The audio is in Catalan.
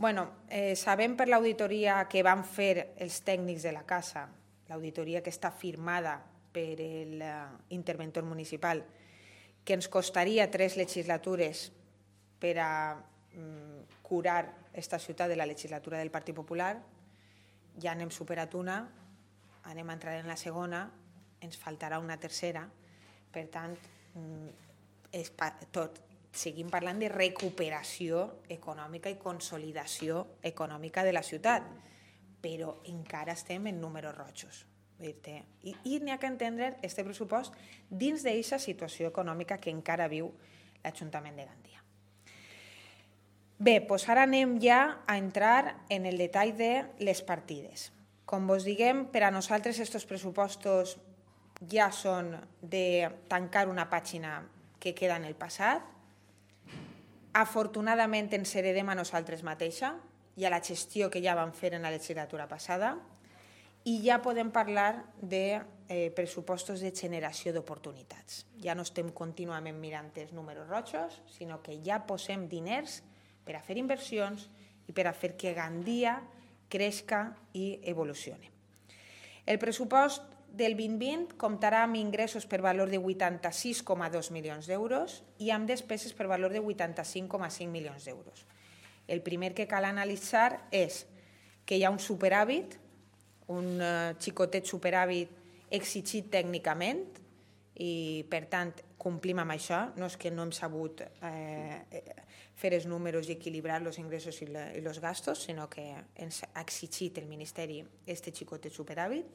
Sabem per l'auditoria que van fer els tècnics de la casa, l'auditoria que està firmada per l'interventor municipal, que ens costaria 3 legislatures per a curar aquesta ciutat de la legislatura del Partit Popular. Ja n'hem superat una, anem a entrar en la segona, ens faltarà una tercera. Per tant, seguim parlant de recuperació econòmica i consolidació econòmica de la ciutat, però encara estem en números rojos. I n'hi ha que entendre aquest pressupost dins d'aquesta situació econòmica que encara viu l'Ajuntament de Gandia. Bé, doncs ara anem ja a entrar en el detall de les partides. Com vos diguem, per a nosaltres aquests pressupostos ja són de tancar una pàgina que queda en el passat. Afortunadament ens heredem a nosaltres mateixa i a la gestió que ja vam fer en la legislatura passada i ja podem parlar de pressupostos de generació d'oportunitats. Ja no estem contínuament mirant els números rojos, sinó que ja posem diners per a fer inversions i per a fer que Gandia creixca i evolucioni. El pressupost del 2020 comptarà amb ingressos per valor de 86,2 milions d'euros i amb despeses per valor de 85,5 milions d'euros. El primer que cal analitzar és que hi ha un superàvit, un xicotet superàvit exigit tècnicament i, per tant, complim amb això. No és que no hem sabut fer els números i equilibrar els ingressos i els gastos, sinó que ens ha exigit el Ministeri aquest xicotet superàvit.